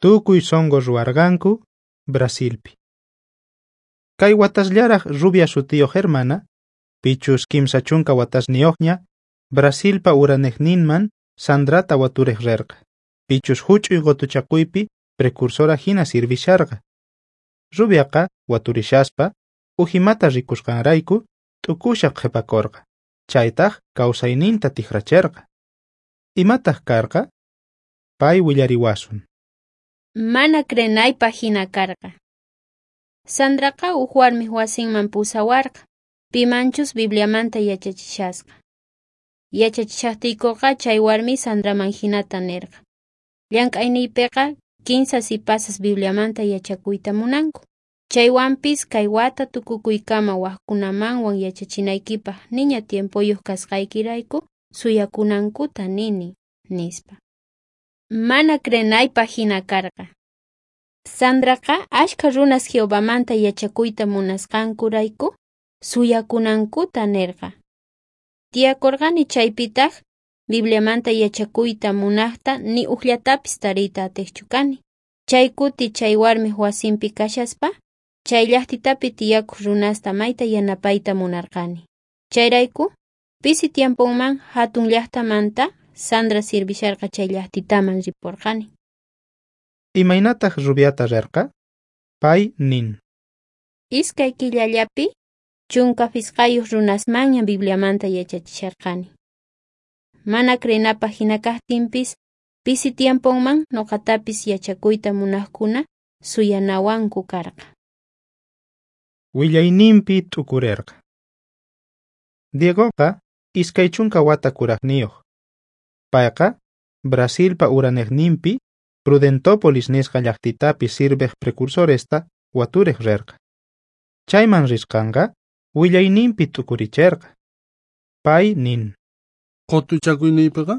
Tukuy sonqo ruwarqanku Brasilpi. Kay watasllaraj Rubia sutiyoj hermana, pichus 30 watasniyojña, Brasilpa uranejninman Sandrata waturej rerqa. Pichus huch'uy qotuchakuypi precursora hina sirvisharqa. Rubiaqa waturishaspa ujimata rikusqanrayku t'ukusha qhipakorqa. Chaytaj kawsayninta tijracherqa. Imataq karqa? Pay willariwasun. Mana creenaypaj hina karqa. Sandraqa uj warmij wasinman pusawarqa, pimanchus Bibliamanta yachachishasqa. Yachachishajtiykoqa chay warmi Sandraman hinata nerqa. Llank'ayniypiqa 15 sipasas Bibliamanta yachakuyta munanku. Chaywanpis kay wata tukukuykama wajkunamanwan yachachinaykipaj niña tiempoyuq kasqaykirayku suyakunankuta nini, nispa. Mana creenaypaj hina karqa. Sandraqa ashkha runas Jehovamanta yachakuyta munasqankurayku suyakunankuta nerqa. Tiyakorqani chaypitaj Bibliamanta yachakuyta munajta ni ujllatapis tariyta atejchu kani. Chay kuti chay warmij wasinpi kashaspa, chay llajtitapi tiyakuj runasta mayta yanapayta munarqani. Chayrayku, pisi tiemponman hatun llajtamanta Sandra sirvisharqa chay llajtitaman riporqani. Imaynataq Rubiata rerqa? Pay nin. 2 killallapi 15 runasmanña Bibliamanta yachachisharqani. Mana creenapaj hina kajtinpis, pisi tiemponman noqatapis yachakuyta munajkuna suyanawanku karqa. Willayninpi t'ukurerqa. Diegoqa 20 wata kurajniyoj. Payqa Brasilpa uranejninpi Prudentópolis nisqa llajtitapi sirvej precursoresta waturej rerqa. Chayman risqanqa willayninpi t'ukuricherqa. Pay nin. Qotuchakuyniypiqa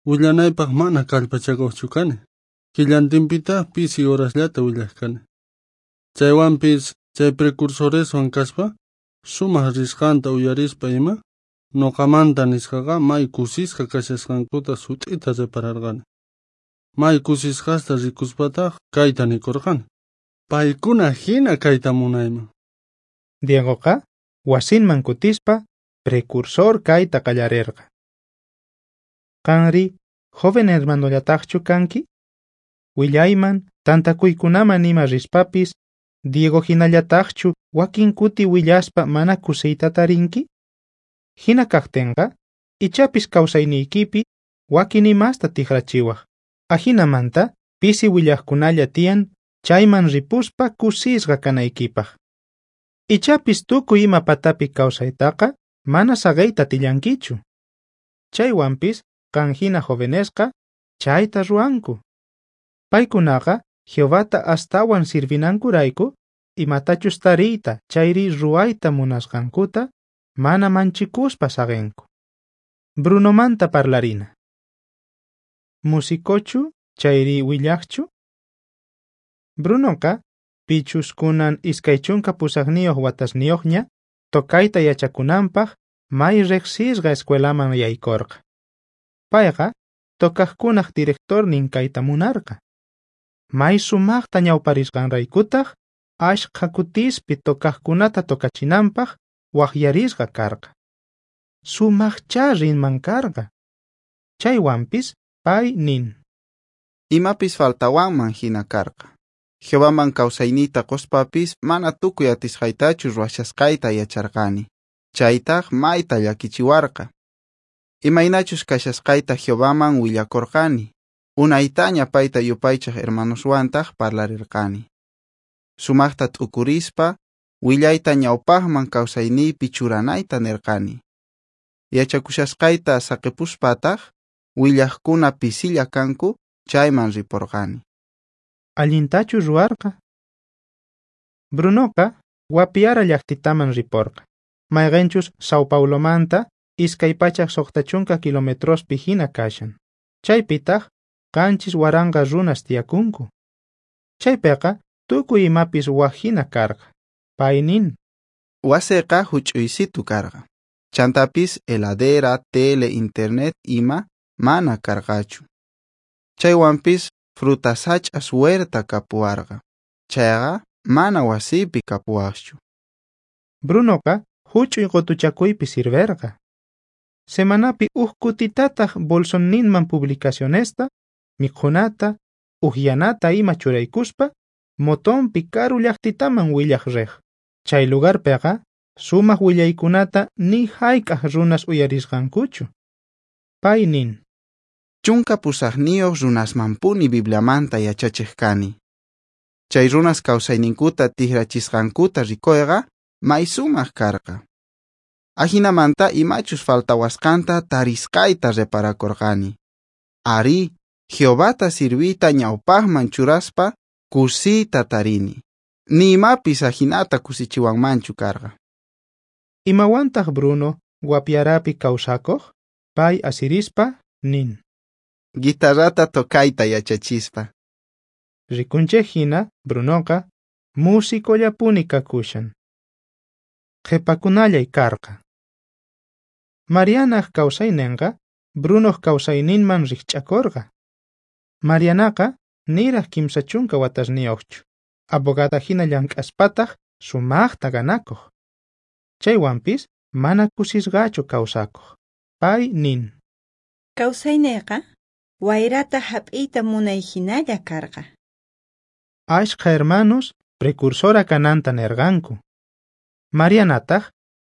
willanaypaj mana kallpachakuqchu kani. Killantinpitaq pisi horasllata willaj kani. Chaywanpis chay precursoreswan kaspa sumaq risqanta uyarispa ima noqamanta nisqaqa may kusisqa kashasqankuta sut'ita repararqani. May kusisqasta rikuspataq kayta nikurqani. Paykuna hina kayta munayman. Diegoqa wasinman kutispa precursor kayta qallarerqa. Qanri, joven hermanollataqchu kanki? Willayman, tantakuykunaman ima rispapis, Diego hinallataqchu wakin kuti willaspa mana kusiyta tarinki? Hina kajtinqa, ichapis kawsayniykipi wakin imasta tijrachiwaj. Ajinamanta pisi willajkunalla tiyan chayman ripuspa kusisqa kanaykipaj. Ichapis tukuy ima patapi kawsaytaqa mana saqeyta atillankichu. Chaywanpis qan hina jovenesqa chayta ruwanku. Paykunaqa Jehovata astawan sirvinankurayku imatachus tariyta chayri ruwayta munasqankuta mana manchikuspa saqenku. Brunomanta parlarina. Musicochu chayri willajchu? Brunoqa pichus kunan 28 watasniyojña tocayta yachakunanpaj may riqsisqa escuelaman yaykorqa. Payqa tocajkunaj directornin kayta munarqa. May sumaqta ñawparisqanraykutaj ashkha kutispi tocajkunata tocachinanpaj waqyarisqa karqa. Sumaqchá rinman karqa. Chaywanpis pay nin. Imapis faltawanman hina karqa. Jehovaman kawsayniyta quspapis mana tukuy atisqaytachu ruwashasqayta yacharqani. Chaytaj mayta llakichiwarqa. Imaynachus kashasqayta Jehovaman willakurqani. Unaytaña payta yupaychaj hermanoswantaq parlarirqani. Sumaqta t'ukurispa willayta ñawpaqman kawsayniypi churanayta nirqani. Yachakushasqayta saqipuspataj willajkuna pisilla kanku chayman riporqani. Allintachu ruwarqa? Brunoqa Guapiara llajtitaman riporqa. Mayqenchus Sao Paulomanta 260 kilometrospi hina kashan. Chaypitaq 7,000 runas tiyakunku. Chaypiqa tukuy imapis waj hina karqa. Pay nin. Wasiqa huch'uysitu karqa. Chantapis heladera, tele, internet ima mana karqachu. Chaywanpis fruta sach'as huerta kapuwarqa. Chayqa mana wasiypi kapuwajchu. Brunoqa huch'uy qotuchakuypi sirverqa. Semanapi uj kutitataj bolsonninman publicacionesta, mikhunata, ujyanata ima churaykuspa, motonpi karu llaqtitaman willaj rej. Chay lugarpeqa sumaq willaykunata ni hayk'aj runas uyarisqankuchu. Pay nin: 18 runasmanpuni Bibliamanta yachachej kani. Chay runas kawsayninkuta tijrachisqankuta rikoyqa may sumaq karqa. Ajinamanta imachus faltawasqanta tarisqayta reparakorqani. Arí, Jehovata sirviyta ñawpaqman churaspa kusiyta tarini. Ni imapis ajinata kusichiwanmanchu karqa. Imawantaq Bruno Guapiarapi kawsakuq? Pay asirispa nin: Guitarrata tocayta yachachispa. Rikunchej hina Brunoqa musicollapuni kakushan. Qhipakunallay karqa. Marianaj kawsaynenqa Brunoq kawsayninman rijch'akorqa. Marianaqa niraj 30 watasniyuqchu, abogada hina llank'aspataq sumaqta ganakuq. Chaywanpis mana kusisqachu kawsakuq. Pay nin: Kawsayniyqa wayrata hap'iyta munay hinalla karqa. Ashkha hermanos precursora kananta nerqanku. Marianataq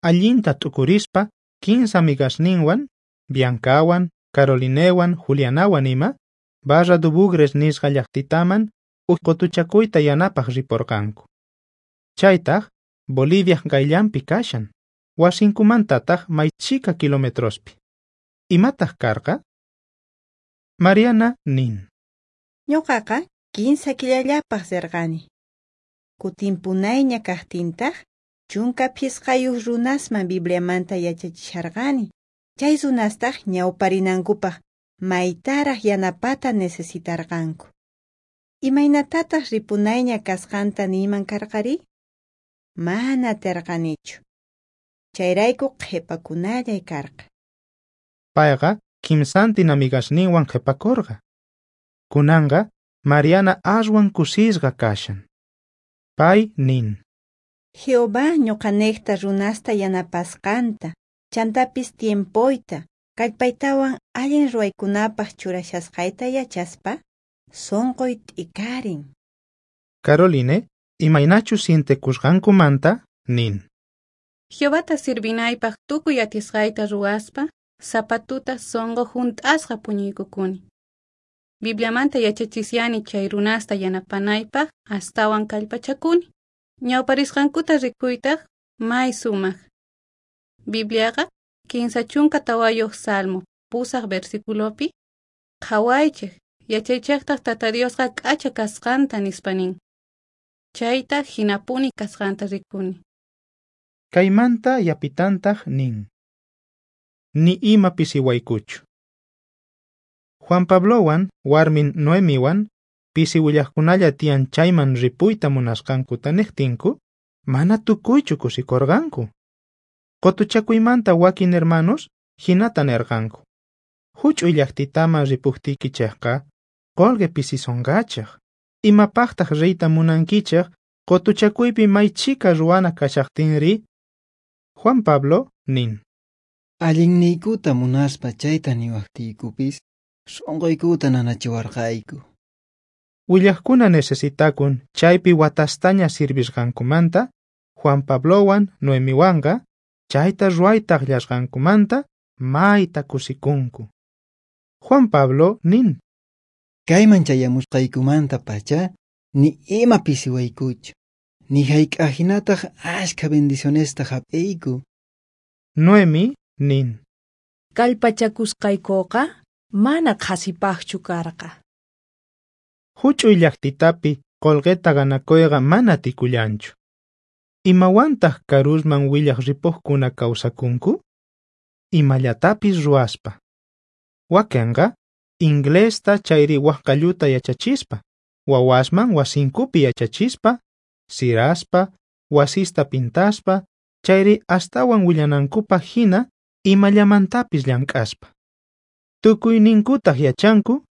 allinta t'ukurispa 15 amigasninwan, Biancawan, Carolinewan, Julianawan ima, Barra do Bugres nisqa llaqtitaman uj qotuchakuyta yanapaq riporqanku. Chaytaq Boliviaj qayllanpi kashan, wasinkumantataq may chhika kilometrospi. Imataq karqa? Mariana nin: Ñuqaqa 15 killallapaq rirqani. Kutinpunayña kaqtintaq 15 runasman Bibliamanta yachachisharqani. Chay runastaq ñawparinankupaq maytaraq yanapata necesitarqanku. Imaynatataq ripunayña kasqanta niyman karqari? Mana atirqanichu. Chayrayku qhipakunallay karqa. Payqa 30 amigasninwan qhipakurqa. Kunanqa Mariana aswan kusisqa kashan. Pay nin: Jehová ñuqanejta runasta yanapasqanta, chantapis tiempoyta, kallpaytawan allin ruwaykunapaq churashasqayta yachaspa, sunquy t'ikarin. Caroline, imaynachus sientekusqankumanta nin: Jehovata sirvinaypaq tukuy atisqayta ruwaspa, sapa tuta sunqu junt'asqa puñuykukuni. Bibliamanta yachachisani chay runasta yanapanaypaq astawan kallpachakuni. Ñawparisqankuta rikuytaq may sumaq. Bibliaqa 34 Salmo 8 versiculopi qhawaychej yachaychejtaq Tata Diosqa k'acha kasqanta nispa nin. Chayta hinapuni kasqanta rikuni. Kaymanta yapitantaq nin: Ni ima pisiwaykuchu. Juan Pablowan warmin Noemiwan pisi willajkunalla tiyan chayman ripuyta munasqankuta niqtinku, mana tukuychu kusikorqanku. Qotuchakuymanta wakin hermanos hinata nerqanku: Huch'uy llaqtitaman ripujtiykichejqa qolqe pisisonqachej. Imapaqtaq riyta munankichej qotuchakuypi may chhika ruwana kashaqtinri? Juan Pablo nin: Allinniykuta munaspa chayta niwaqtiykupis, sunquykuta nanachiwarqayku. Willajkuna necesitakun chaypi watastaña sirvisqankumanta, Juan Pablowan Noemiwanqa chayta ruwayta akllasqankumanta mayta kusikunku. Juan Pablo nin: Kayman chayamusqaykumanta pacha ni ima pisiwaykuchu, ni hayk'aqhinataq ashkha bendicionesta hap'iyku. Noemi nin: Kallpachakusqaykuqa mana qhasipaqchu karqa. Huch'uy llaqtitapi qolqeta ganakuyqa mana tikullanchu. Imawantaq karusman willaj ripuqkuna kawsakunku? Imallatapis ruwaspa. Wakenqa inglesta chayri waj qalluta yachachispa, wawasman wasinkupi yachachispa, siraspa, wasista pintaspa, chayri astawan willanankupaq hina imallamantapis llank'aspa. Tukuyninkutaq yachanku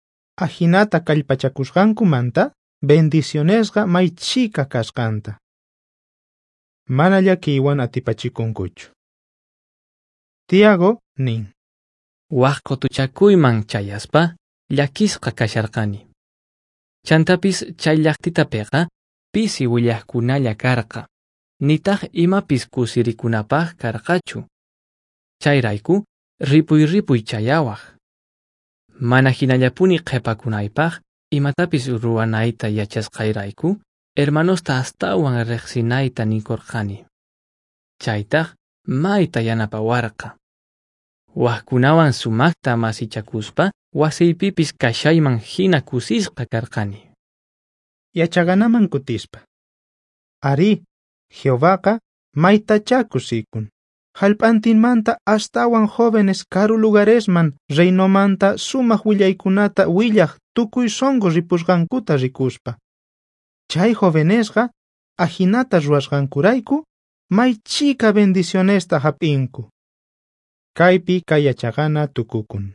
Ajinata kallpachakusqankumanta bendicionesqa may chhika kasqanta. Mana llakiywan atipachikunkuchu. Tiago nin: Waj qotuchakuyman chayaspa llakisqa kasharqani. Chantapis chay llaqtitapiqa pisi willajkunalla karqa, nitaq imapis kusirikunapaq karqachu. Chayrayku ripuy ripuy chayawaj. Mana hinallapuni qhipakunaypaq imatapis ruwanayta yachasqayrayku hermanosta astawan riqsinayta nikurqani. Chaytaq mayta yanapawarqa. Wajkunawan sumaqta masichakuspa wasiypipis kashayman hina kusisqa karqani. Yachaganaman kutispa. Arí, Jehovaqa maytachá kusikun. Jallp'antinmanta astawan jóvenes karu lugaresman reinomanta sumaq willaykunata willaj tukuy sonqo ripusqankuta rikuspa. Chay jovenesqa ajinata ruwasqankurayku may chhika bendicionesta hap'inku. Kaypi kay yachaqana tukukun.